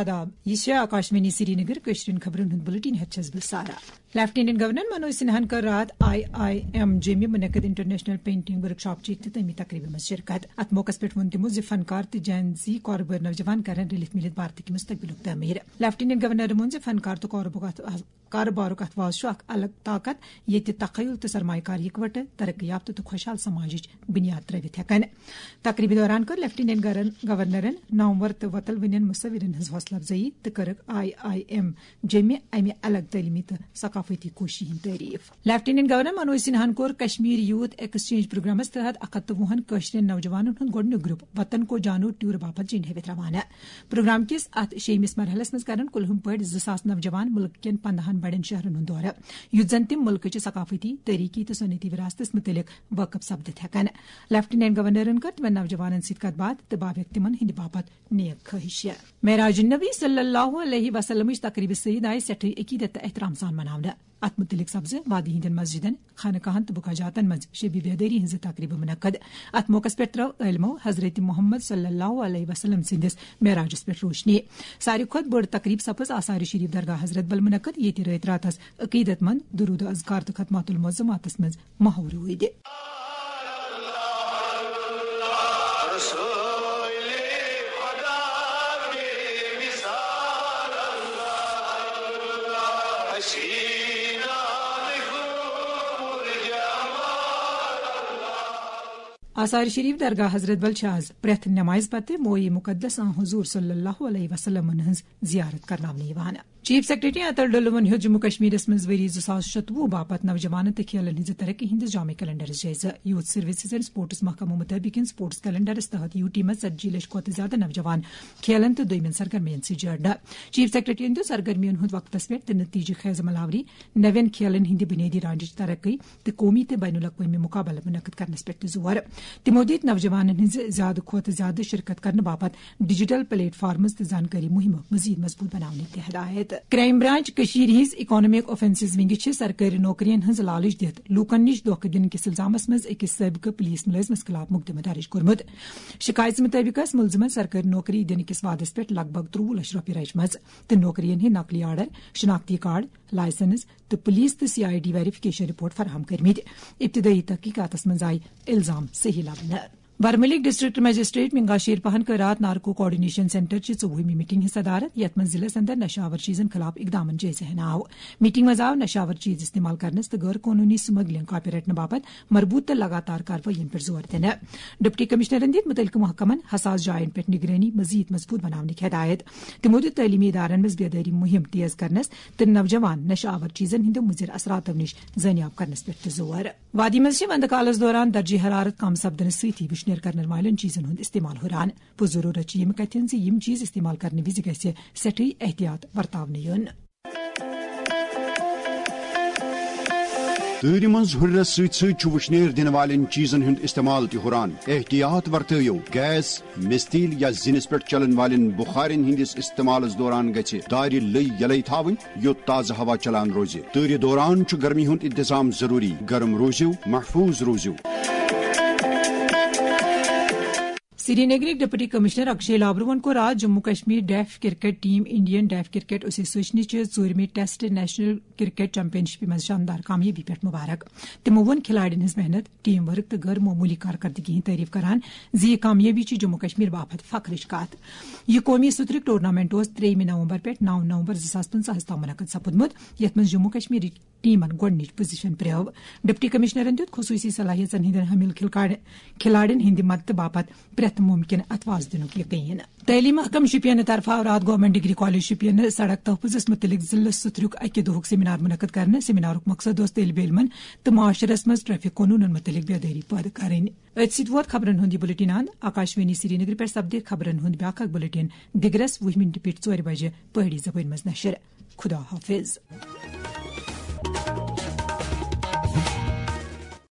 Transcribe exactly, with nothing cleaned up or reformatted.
آداب، یہِ چھےٚ آکاشوانی سرینگر، کٲشرٮ۪ن خبرن ہُنٛد بُلٹن ہٮ۪تھ چھَس بہٕ سارا۔ لیفٹیننٹ گورنر منوج سنہاہن کٔر راتھ آئی آئی ایم جیٚمہِ منعقد انٹرنیشنل پینٹنگ ورکشاپچہِ اختتٲمی تقریبہِ منٛز شرکت۔ اتھ موقعس پٮ۪ٹھ ووٚن تِمو زِ فنکار تہٕ جین زی کاربٲرۍ نوجوان کرن رٔلِتھ مِلِتھ بھارتٕکۍ مستقبلُک تعمیٖر۔ لیفٹیننٹ گورنرن ووٚن زِ فنکار تہٕ کارٕبارُک اتھ، کارٕبارُک اتھواز چھُ اکھ الگ طاقت، ییٚتہِ تخیل تہٕ سرمایہ کار یکوٹہٕ ترقی یافتہٕ تہٕ خۄشحال سماجٕچ بنیاد ترٲوِتھ ہٮ۪کن۔ تقریبہِ دوران کٔر لیفٹیننٹ گورن-، گورنرن نامور تہٕ وۄتلوٕنٮ۪ن مصورن ہٕنٛز حوصلہٕ افزٲیی تہٕ کٔرٕکھ آئی آئی ایم جیٚمہِ امہِ الگ تعلیمی تہٕ ثقافتی کوٗششہِ ہٕنٛز تعریف۔ لیفٹیننٹ گورنر منوج سنہاہن کوٚر کشمیر یوتھ ایکسچینج پروگرامس تحت اکھ ہتھ تہٕ وُہن کٲشرٮ۪ن نوجوانن ہُنٛد گۄڈٕنیُک گروپ وطن کو جانو ٹور باپتھ جنڈ ہیٚوِتھ روانہٕ۔ پروگرام کِس اتھ شیٚیمِس مرحلس منٛز کرن کُلہُم پٲٹھۍ زٕ ساس نوجوان مُلک کٮ۪ن پندہن بڑٮ۪ن شہرن ہُنٛد دورٕ، یُتھ زن تِم مُلکٕچہِ ثقافتی، تٲریخی تہٕ صنعتی وراثتس مُتعلق وٲقف سپدِتھ ہٮ۪کن۔ لیفٹیننٹ گورنرن کٔر تِمن نوجوانن سۭتۍ کتھ باتھ تہٕ باویکھ تِمن ہٕنٛدِ باپتھ نیک خٲہِش۔ معراج النبی صلی اللہ علیہ وسلمٕچ تقریبہِ سعید آیہِ سٮ۪ٹھٕے عقیدت تہٕ احترام سان مناونہٕ۔ اتھ مُتعلق سپزٕ وادی ہٕنٛدٮ۪ن مسجدن، خانقاہن تہٕ بُکاہ جاتن منٛز شبِ بیدٲری ہٕنٛزٕ تقریبہٕ منعقد۔ اتھ موقعس پٮ۪ٹھ ترٲو عٲلمو حضرت محمد صلی اللہ علیہ وسلم سٕنٛدِس معراجس پٮ۪ٹھ روشنی۔ ساروی کھۄتہٕ بٔڑ تقریب سپٕز آثار شریف درگاہ حضرت بل منعقد، ییٚتہِ رٲتۍ راتس عقیدت مند درود و اذکار تہٕ ختمات المعظماتس منٛز محو روٗدۍ۔ آثار شریف درگاہ حضرت بل چھِ آز پرٛٮ۪تھ نمازِ پتہٕ مویہِ مقدس آن حضور صلی اللہ علیہ وسلمن ہٕنٛز زیارت کرناونہٕ یِوان۔ چیف سیکرٹری اطہر ڈولون ہیوٚت جموں کشمیرس منٛز ؤری زٕ ساس شتوُہ باپتھ نوجوانن تہٕ کھیلن ہٕنٛزِ ترقی ہٕنٛدِس جامع کیلنڈرس جٲیزٕ۔ یوتھ سروسز اینڈ سپورٹس محکمہٕ مُطٲبِق یِن سپورٹس کیلنڈرس تحت یوٗ ٹی منٛز ژتجی لچھ کھۄتہٕ زیادٕ نوجوان کھیلن تہٕ دوٚیمٮ۪ن سرگرمین سۭتۍ جوڑنہٕ۔ چیف سیکرٹریَن دیُت سرگرمین ہُنٛد وقتس پٮ۪ٹھ تہٕ نتیجہٕ خیز عمل آوری، نوٮ۪ن کھیلن ہٕنٛدِ بُنیٲدی ڈھانچٕچ ترقی تہٕ قومی تہٕ بین الاقوٲمی مقابلہٕ منعقد کرنس پٮ۪ٹھ تہِ زور۔ تِمو دِتۍ نوجوانن ہٕنٛزِ زیادٕ کھۄتہٕ زیادٕ شرکت کرنہٕ باپتھ ڈیجیٹل پلیٹ فارمز تہٕ زانکٲری مُہِمہٕ مزید مضبوط بناونٕکۍ تہِ ہدایت۔ کرائم برانچ کٔشیٖر ہٕنٛز اکنامک آفینسز ونگہِ چھِ سرکٲرۍ نوکرین ہٕنٛز لالچ دِتھ لوٗکن نِش دھوکہٕ دِنہٕ کِس الزامس منٛز أکِس سٲبقہٕ پولیس مُلٲزمس خلاف مُقدمہٕ درج کوٚرمُت۔ شِکایژِ مُطٲبِق ٲس مُلزِمن سرکٲرۍ نوکری دِنہٕ کِس وعدس پٮ۪ٹھ لگ بگ ترٛۆوُہ لچھ رۄپیہِ رچمژٕ تہٕ نوکرین ہٕنٛدۍ نقلی آرڈر، شناختی کارڈ، لائسنس تہٕ پولیس تہٕ C I D verification report فراہم کٔرمٕتۍ۔ ابتدٲئی تحقیقاتس منٛز آیہِ الزام صحیح لبنہٕ۔ ورمُلٕکۍ ڈسٹرکٹ مجسٹریٹ منگا شیر پہن کٔر راتھ نارکو کوآرڈینیشن سینٹر چہِ ژوٚوُہمہِ میٹنگ ہٕنٛز صدارت، یتھ منٛز ضلعس اندر نشہٕ آور چیزن خلاف اقدامن جٲیزٕ ہینہٕ آو۔ میٹنگ منٛز آو نشہٕ آور چیز استعمال کرنس تہٕ غٲر قونوٗنی سمگلنگ کاپی رٹنہٕ باپتھ مربوط تہٕ لگاتار کاروٲیین پٮ۪ٹھ زور دِنہٕ۔ ڈپٹی کمشنرن دِتۍ مُتعلقہٕ محکمن حساس جاین پٮ۪ٹھ نگرٲنی مزید مضبوط بناونٕکۍ ہدایت۔ تِمو دِیُت تعلیمی ادارن منٛز بیدٲری مُہِم تیز کرنس تہٕ نوجوان نشہٕ آور چیزن ہٕنٛدیو مُضر اثراتو نِش زٲنیاب کرنس پٮ۪ٹھ تہِ زور۔ وادی منٛز چھِ وندٕ کالس دوران درجہ حرارت کم سپدنہٕ سۭتی وُشنیر کرن والٮ۪ن چیزن ہُنٛد استعمال ہُران۔ پُرضروٗرت چھِ یِم کتھِ ہٕنٛز زِ یِم چیز استعمال کرنہٕ وِزِ گژھِ سٮ۪ٹھٕے احتیاط ورتاونہٕ یُن۔ تۭرِ منٛز ہُرنس سۭتۍ سۭتۍ چھُ وُشنیر دِنہٕ والٮ۪ن چیزن ہُنٛد استعمال تہِ ہُران۔ احتیاط ورتٲیِو۔ گیس، مستیل یا زِنِس پٮ۪ٹھ چلن والٮ۪ن بخارٮ۪ن ہٕنٛدِس استعمالس دوران گژھِ دارِ لٔۍ یلے تھاوٕنۍ، یوٚت تازٕ ہوا چلان روزِ۔ تۭرِ دوران چھُ گرمی ہُنٛد انتظام ضروٗری۔ گرم روٗزِو، محفوٗظ روٗزِو۔ سرینگرٕکۍ ڈپٹی کمشنر اکشے لابروہن کوٚر راتھ Jammu Kashmir deaf cricket team Indian deaf cricket ایسوسیشنہِ چہِ ژوٗرمہِ ٹیسٹ نیشنل کرکٹ چیمپین شپہِ منٛز شاندار کامیٲبی پٮ۪ٹھ مبارک۔ تِمو ووٚن کھلاڑٮ۪ن ہٕنٛز محنت، ٹیم ورک تہٕ غٲر معموٗلی کارکردگی ہٕنٛز تعریف کران زِ یہِ کامیٲبی چھِ جموں کشمیر باپتھ فخرٕچ کتھ۔ یہِ قومی سترک ٹورنامنٹ اوس ترٛیٚیِمہِ نومبر پٮ۪ٹھ نَو نومبر زٕ ساس پٕنٛژٕہَس تام منعقد سپُدمُت، یتھ منٛز جموں کشمیرٕکۍ ٹیمن گۄڈٕنِچ پوزیشن پرٛٲو۔ ڈپٹی کمشنرن دیُت خصوٗصی صلٲحیژن ہٕنٛدٮ۪ن حٲمِل کھلکاڑ-، کھلاڑٮ۪ن ہٕنٛدِ مدتہٕ باپتھ پرٛٮ۪تھ مُمکِن اتھواز دِنُک یقین۔ تعلیٖم محکمہٕ شُپینہٕ طرفہٕ آو راتھ گورنمنٹ ڈگری کالج شُپینہٕ سڑک تحفظس مُتعلق ضلعہٕ سترُک اکہِ دۄہُک سیمینار منعقد کرنہٕ۔ سیمینارُک مقصد اوس طٲلبہِ علمن تہٕ معاشرس منٛز ٹریفک قونوٗنن مُتعلق بیدٲری پٲدٕ کرٕنۍ۔ أتھۍ سۭتۍ ووت خبرن ہُنٛد یہِ بُلٹن اند۔ آکاشوانی سرینگر پٮ۪ٹھ سپدِ خبرن ہُنٛد بیٛاکھ اکھ بُلٹن دِگرس وُہہِ مِنٹہِ پٮ۪ٹھ ژورِ بجہِ پہٲڑی زبٲنۍ منٛز نشر۔ خدا حافظ۔